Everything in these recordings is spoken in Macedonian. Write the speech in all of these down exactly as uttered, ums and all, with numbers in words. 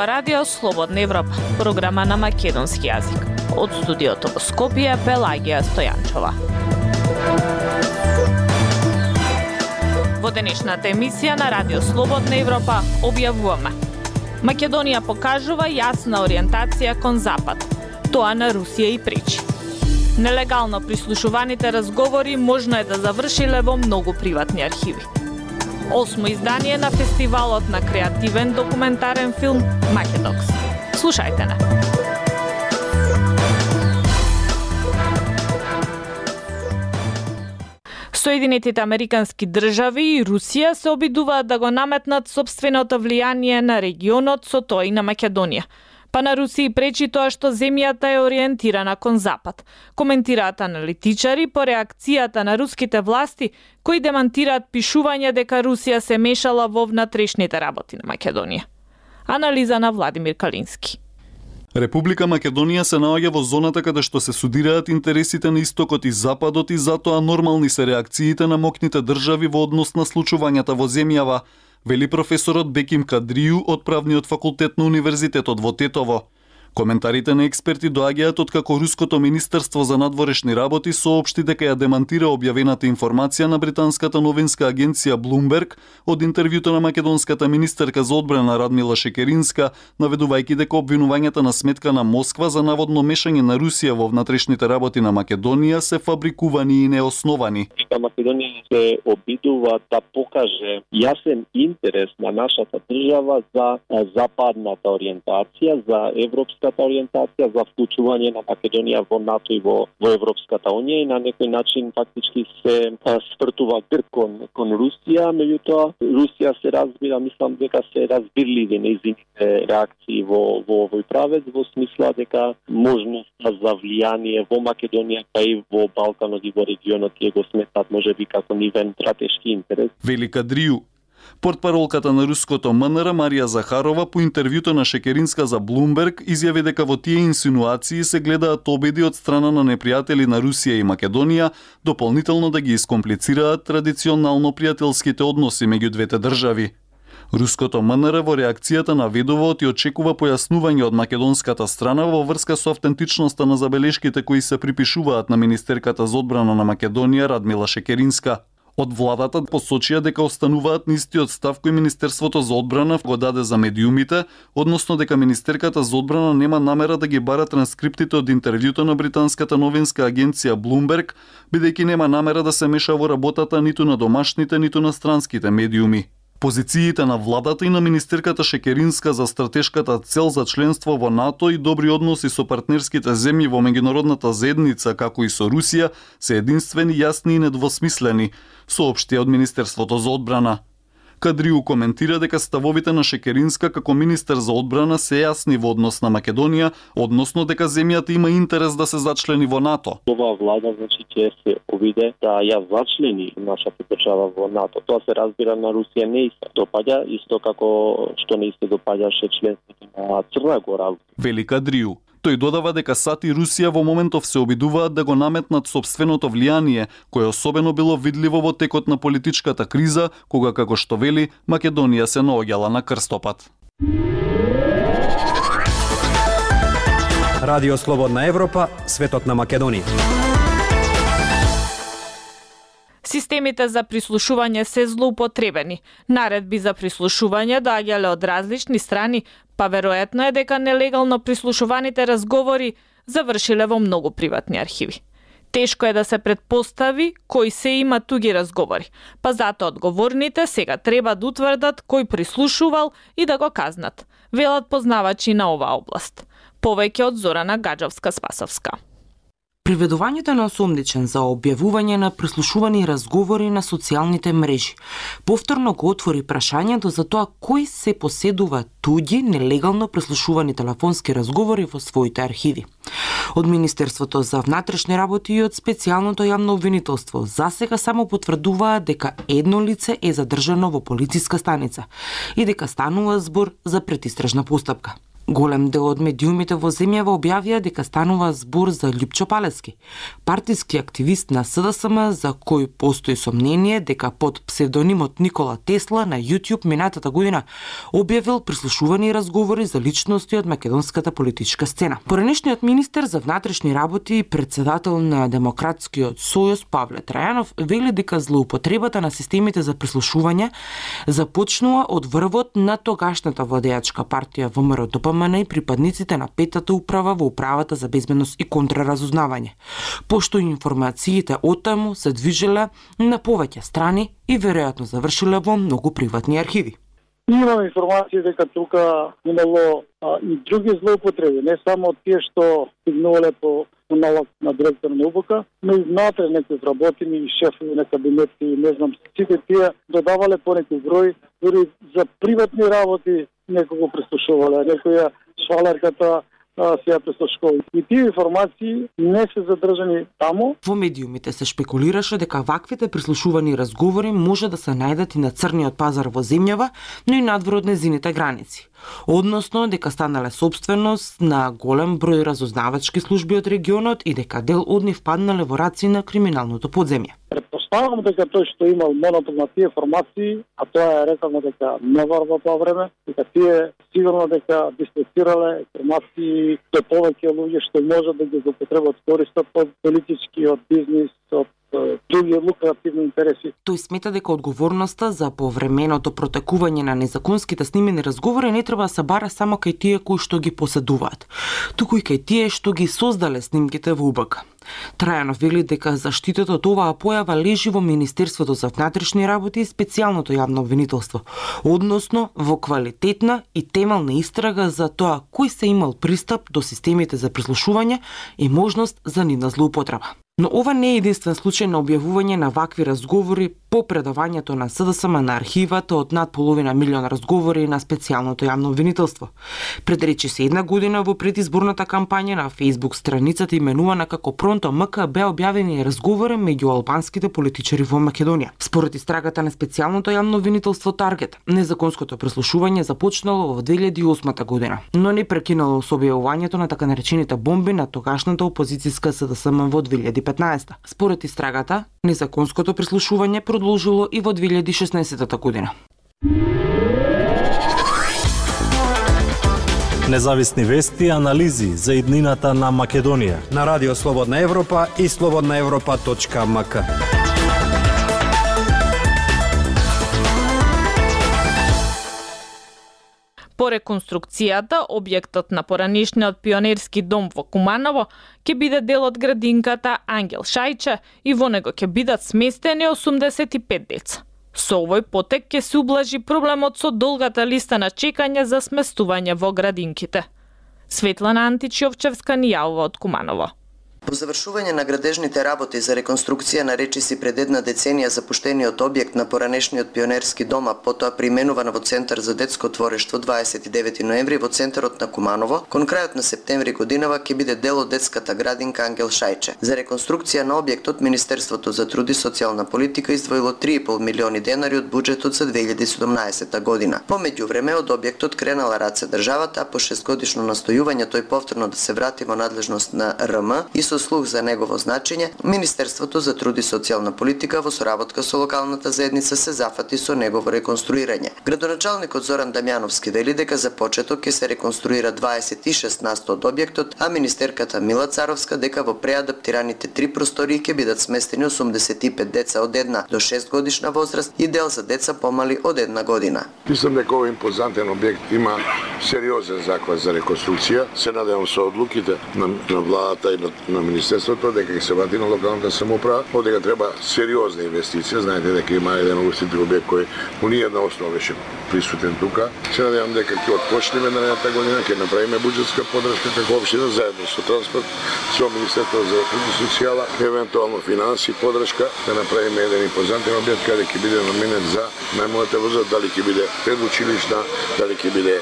ова радио Слободна Европа, програма на македонски јазик. Од студиото во Скопје, Пелагија Стојанчова. Во денешната емисија на радио Слободна Европа објавуваме: Македонија покажува јасна ориентација кон Запад. Тоа на Русија и пречи. Нелегално прислушуваните разговори можно е да завршиле во многу приватни архиви. Осмо издание на фестивалот на креативен документарен филм Македокс. Слушајте на. Соединетите американски држави и Русија се обидуваат да го наметнат сопственото влијание на регионот, со тоа и на Македонија. Па на Русија пречи тоа што земјата е ориентирана кон Запад. Коментираат аналитичари по реакцијата на руските власти, кои демантираат пишување дека Русија се мешала во внатрешните работи на Македонија. Анализа на Владимир Калински. Република Македонија се наоѓа во зоната каде што се судираат интересите на истокот и западот и затоа нормални се реакциите на моќните држави во однос на случувањата во земјава, вели професорот Беким Кадрију од Правниот факултет на Универзитетот во Тетово. Коментарите на експерти доаѓаат од како Руското министерство за надворешни работи соопшти дека ја демантира објавената информација на британската новинска агенција Bloomberg од интервјуто на македонската министерка за одбрана Радмила Шекеринска, наведувајќи дека обвинувањата на сметка на Москва за наводно мешање на Русија во внатрешните работи на Македонија се фабрикувани и неосновани. Македонија се обидува да покаже јасен интерес на нашата држава за западната ориентација, за европска ориентација, за вклучување на Македонија во НАТО и во, во Европската унија и на некој начин фактички се свртува грб кон, кон Русија, меѓутоа Русија се разбира, мислам дека се разбирливи нејзините реакции во, во овој правец, во смисла дека можноста за влијание во Македонија, па и во Балканот и во регионот ја го сметат можеби како нивен стратешки интерес. Велика Дрију. Портпаролката на руското МНР Марија Захарова по интервјуто на Шекеринска за Bloomberg изјави дека во тие инсинуации се гледаат обиди од страна на непријатели на Русија и Македонија дополнително да ги искомплицираат традиционално пријателските односи меѓу двете држави. Руското МНР во реакцијата наведува и очекува појаснување од македонската страна во врска со автентичноста на забелешките кои се припишуваат на министерката за одбрана на Македонија Радмила Шекеринска. Од владата посочија дека остануваат на истиот став кој Министерството за одбрана го даде за медиумите, односно дека Министерката за одбрана нема намера да ги бара транскриптите од интервјуто на британската новинска агенција Bloomberg, бидејќи нема намера да се меша во работата ниту на домашните, ниту на странските медиуми. Позициите на владата и на министерката Шекеринска за стратешката цел за членство во НАТО и добри односи со партнерските земји во меѓународната заедница, како и со Русија, се единствени, јасни и недвосмислени, соопшти од Министерството за одбрана. Кадрију коментира дека ставовите на Шекеринска како министер за одбрана се јасни во однос на Македонија, односно дека земјата има интерес да се зачлени во НАТО. Ова влада значи ќе се обиде да ја зачлени нашата држава во НАТО. Тоа се разбира на Русија не се допаѓа, исто како што не се допаѓаше членството на Црна Гора. Вели Кадрију. Тој додава дека САД и Русија во моментов се обидуваат да го наметнат сопственото влијание, кое особено било видливо во текот на политичката криза, кога, како што вели, Македонија се наоѓала на крстопат. Радио Слободна Европа, светот на Македонија. Системите за прислушување се злоупотребени. Наредби за прислушување доаѓале од различни страни, па веројатно е дека нелегално прислушуваните разговори завршиле во многу приватни архиви. Тешко е да се предпостави кој се има туги разговори, па затоа одговорните сега треба да утврдат кој прислушувал и да го казнат, велат познавачи на оваа област. Повеќе од Зорана Гаджевска-Спасовска. Приведувањето на осомничен за објавување на прислушувани разговори на социјалните мрежи повторно го отвори прашањето за тоа кој се поседува туѓи нелегално прислушувани телефонски разговори во своите архиви. Од Министерството за внатрешни работи и од специјалното јавно обвинителство засега само потврдуваат дека едно лице е задржано во полициска станица и дека станува збор за предистражна постапка. Голем дел од медиумите во земјава објавија дека станува збор за Љупчо Палески, партиски активист на С Д С М за кој постои сомнение дека под псевдонимот Никола Тесла на YouTube минатата година објавил прислушувани разговори за личности од македонската политичка сцена. Поранешниот министер за внатрешни работи и председател на Демократскиот сојуз Павле Трајанов вели дека злоупотребата на системите за прислушување започнува од врвот на тогашната владеачка партија Во М Р Д П М Н и припадниците на петата управа во управата за безбедност и контраразузнавање, пошто информациите од таму се движеле на повеќе страни и веројатно завршиле во многу приватни архиви. Имаме информација дека тука имало а, и други злоупотреби, не само тие што стигнувале по налог на директор на У Б К, но и внатре некои вработени и шефови на кабинети, не знам, сите тие додавале по некој број, дури за приватни работи некого прислушувале, некоја швалерката се ја прислушкува. И тие информации не се задржани таму. Во медиумите се шпекулираше дека ваквите прислушувани разговори може да се најдат и на црниот пазар во земјава, но и надвор од незините граници. Односно дека станале собственост на голем број разузнавачки служби од регионот и дека дел од нив паднале во раци на криминалното подземје. Предпоставам дека тој што имал монопол на тие информации, а тоа е рекално дека не варва тоа време, дека тие сигурно дека дислоцирале информации до повеќе луѓе што можат да ги злоупотребат, користат од политички, од бизнис, од други лукративни интереси. Тој смета дека одговорноста за повременото протекување на незаконските снимени разговори не треба да се бара само кај тие кои што ги поседуваат, туку и кај тие што ги создале снимките во У Б К. Трајанов вели дека заштитата од оваа појава лежи во Министерството за внатрешни работи и специјалното јавно обвинителство, односно во квалитетна и темелна истрага за тоа кој се имал пристап до системите за прислушување и можност за нивна злоупотреба. Но ова не е единствен случај на објавување на вакви разговори по предавањето на С Д С М на архивата од над половина милион разговори на специјалното јавно обвинителство. Пред речи се една година во предизборната кампања на Facebook страницата именувана како Пронто М К беа објавени разговори меѓу албанските политичари во Македонија. Според истрагата на специјалното јавно обвинителство Таргет, незаконското прислушување започнало во две илјади и осма година, но не прекинало со објавувањето на така наречените бомби на тогашната опозицијска С Д С М во две илјади и петнаесета. Според истрагата, незаконското прислушување продолжило и во две илјади и шеснаесета година. Независни вести и анализи за иднината на Македонија на Радио Слободна Европа и слободна европа точка м к. По реконструкцијата, објектот на поранишниот пионерски дом во Куманово ќе биде дел од градинката Ангел Шајче и во него ќе бидат сместени осумдесет и пет деца. Со овој потек ќе се ублажи проблемот со долгата листа на чекање за сместување во градинките. Светлана Античовчевска ни јавува од Куманово. По завршување на градежните работи за реконструкција на речиси пред една деценија запуштениот објект на поранешниот пионерски дом, а потоа преименуван во Центар за детско творештво дваесет и девети ноември во центарот на Куманово, кон крајот на септември годинава ќе биде дел од детската градинка Ангел Шајче. За реконструкција на објектот Министерството за труд и социјална политика издвоило три и пол милиони денари од буџетот за две илјади и седумнаесета година. По меѓувреме од објектот кренала раце државата, а по шестгодишно настојување тој повторно да се врати во надлежност на Р М и со слух за негово значење, Министерството за труд и социјална политика во соработка со локалната заедница се зафати со негово реконструирање. Градоначалникот Зоран Дамјановски вели дека за почеток ќе се реконструира дваесет и шест на сто од објектот, а министерката Мила Царовска дека во преадаптираните три простории ќе бидат сместени осумдесет и пет деца од една до шест годишна возраст и дел за деца помали од една година. Мислам дека овој импозантен објект има сериозен заклад за реконструкција. Се надевам со одлуките на, на владата и на, на Министерството дека ќе се врати на локалната самоуправа, дека треба сериозна инвестиција. Знаете дека има еден угостител објект кој по ниедна основа беше присутен тука. Се надевам дека ќе отпочнеме наредната година, ќе направиме буџетска поддршка како општина заедно со транспорт, со Министерството за труд и социјала, евентуално финанси поддршка, да направиме еден импозантен објект каде ќе биде наменет за најмладата возраст, дали ќе биде предучилишна, дали ќе биде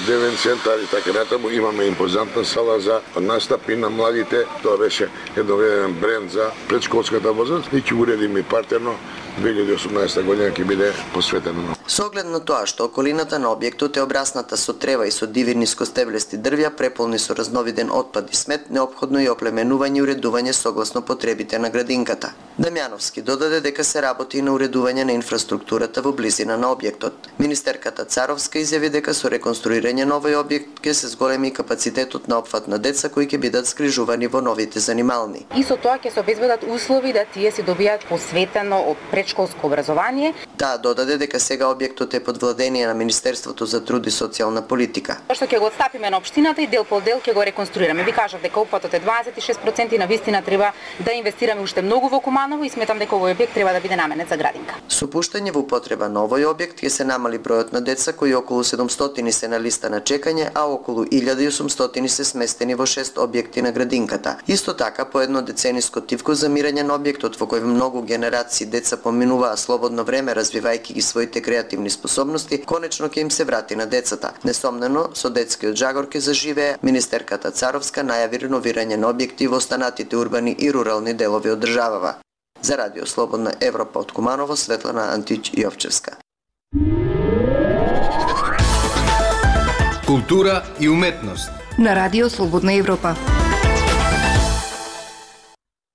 девен центар и така натаму. Имаме импозантна сала за настапи на младите. Тоа беше едновремен бренд за предшколската возраст и ќе го уредиме партерно. две илјади и осумнаесета година ќе биде посветена на Со оглед на тоа што околината на објектот е обрасната со трева и со диви нискостеблести дрвја, преполни со разновиден отпад и смет, неопходно и оплеменување и уредување согласно потребите на градинката. Дамјановски додаде дека се работи и на уредување на инфраструктурата во близина на објектот. Министерката Царовска изјави дека со реконструирање на овој објект ќе се зголеми капацитетот на опфат на деца кои ќе бидат згрижувани во новите занимални. И со тоа ќе се обезбедат услови да тие си добијат посветено предшколско образование. Таа додаде дека сега објектот е под владение на Министерството за труд и социјална политика. Што ќе го отстапиме на општината и дел по дел ќе го реконструираме. Ви кажав дека опфатот е дваесет и шест проценти и на вистина треба да инвестираме уште многу во Куманово и сметам дека овој објект треба да биде наменет за градинка. Со пуштање во употреба на овој објект ќе се намали бројот на деца кои околу седумстотини се на листа на чекање, а околу илјада и осумстотини се сместени во шест објекти на градинката. Исто така, по едно децениско тивко замирање на објектот во кој многу генерации деца поминуваа слободно време развивајќи ги своите креативни способности, конечно ќе им се врати на децата. Несомнено, со детскиот жагор ќе заживее. Министерката Царовска најави реновирање на објекти во останатите урбани и рурални делови од државава. За Радио Слободна Европа од Куманово, Светлана Антич Јовчевска. Култура и уметност на Радио Слободна Европа.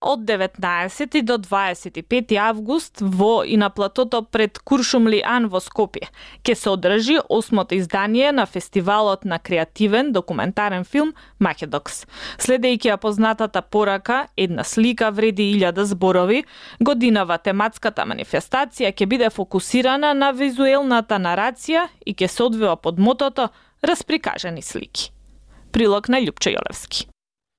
Од деветнаесети до дваесет и пети август во и на платото пред Куршумли-Ан во Скопје ќе се одржи осмото издание на фестивалот на креативен документарен филм Македокс. Следејќи ја познатата порака "Една слика вреди илјада зборови", годинава тематската манифестација ќе биде фокусирана на визуелната нарација и ќе се одвива под мотото "Расприкажани слики". Прилог на Љупчо Јолевски.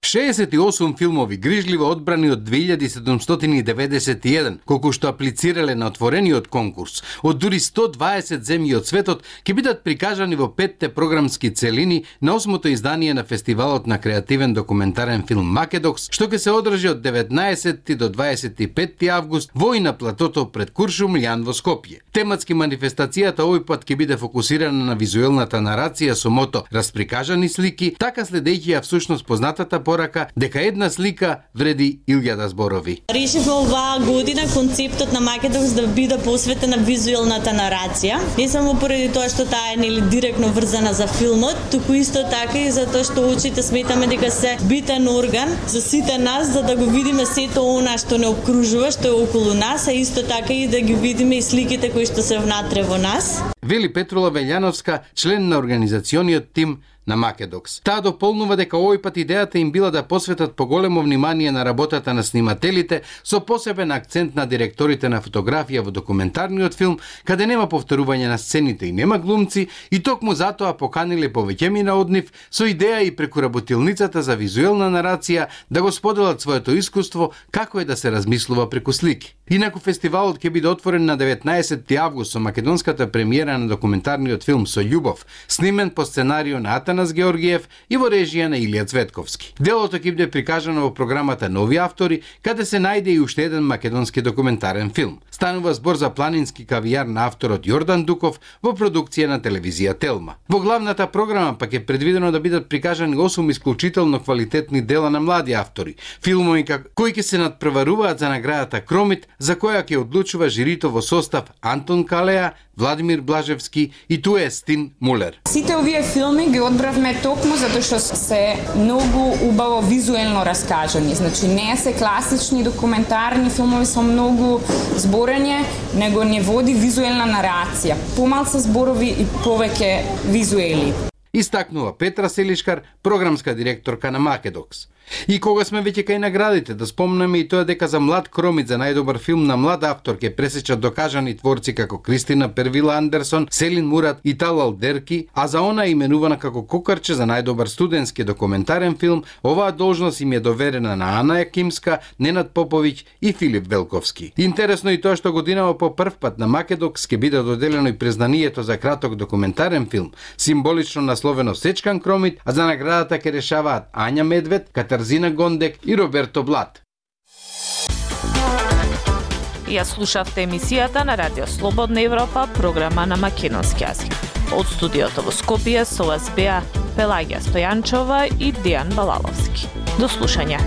шеесет и осум филмови грижливо одбрани од две илјади седумстотини и деветдесет и еден, колку што аплицирале на отворениот конкурс, од дури сто дваесет земји од светот, ќе бидат прикажани во петте програмски целини на осмото издание на фестивалот на креативен документарен филм Македокс, што ќе се одржи од деветнаесети до дваесет и петти август во и на платото пред Куршумли-Ан во Скопје. Тематски манифестацијата овој пат ќе биде фокусирана на визуелната нарација со мото "Расприкажани слики", така следејќи ја всушност познатата порака дека една слика вреди илјада зборови. Решивме оваа година концептот на Македокс да биде посветен на визуелната нарација. Не само поради тоа што таа е нели директно врзана за филмот, туку исто така и затоа што очите сметаме дека се битен орган за сите нас, за да го видиме сето она што не обкружува, што е околу нас, а исто така и да ги видиме и сликите кои што се внатре во нас. Вели Петрула Велјановска, член на организациониот тим на Македокс. Таа дополнува дека овој пат идејата им била да посветат поголемо внимание на работата на снимателите со посебен акцент на директорите на фотографија во документарниот филм, каде нема повторување на сцените и нема глумци, и токму затоа поканиле повеќемина од нив со идеја и преку работилницата за визуелна нарација да го споделат своето искуство како е да се размислува преку слики. Инаку фестивалот ќе биде отворен на деветнаесети август со македонската премиера на документарниот филм Со љубов, снимен по сценарио на Атанас Георгиев и во режија на Илија Цветковски. Делото ќе биде прикажано во програмата Нови автори, каде се најде и уште еден македонски документарен филм. Станува збор за планински кавијар на авторот Јордан Дуков во продукција на телевизија Телма. Во главната програма пак е предвидено да бидат прикажани осум исклучително квалитетни дела на млади автори, филмови кои ќе се надпреваруваат за наградата Кромит, за која ќе одлучува жирито во состав Антон Калеа, Владимир Блажевски и Туе Стин Мулер. Сите овие филми ги одбравме токму затоа што се многу убаво визуелно раскажани. Значи не се класични документарни филмови со многу зборење, него не води визуелна нарација. Помалку зборови и повеќе визуели. Истакнува Петра Селишкар, програмска директорка на Македокс. И кога сме веќе кај наградите, да спомнеме и тоа дека за млад Кромит за најдобар филм на млад автор ќе пресечат докажани творци како Кристина Первила Андерсон, Селин Мурат и Талал Дерки, а за она именувана како Кокарче за најдобар студентски документарен филм, оваа должност им е доверена на Ана Јакимска, Ненад Поповиќ и Филип Велковски. Интересно и тоа што годинава по прв пат на Македокс ќе биде доделено и признанието за краток документарен филм, символично насловено Сечкан Кромит, а за наградата ќе решаваат Ања Медвед, Тарзина Гондек и Роберто Блат. Ја слушавте емисијата на Радио Слободна Европа, програма на македонски јазик. Од студиото во Скопје со вас беа Пелагија Стојанчова и Дијан Балаловски. До слушање.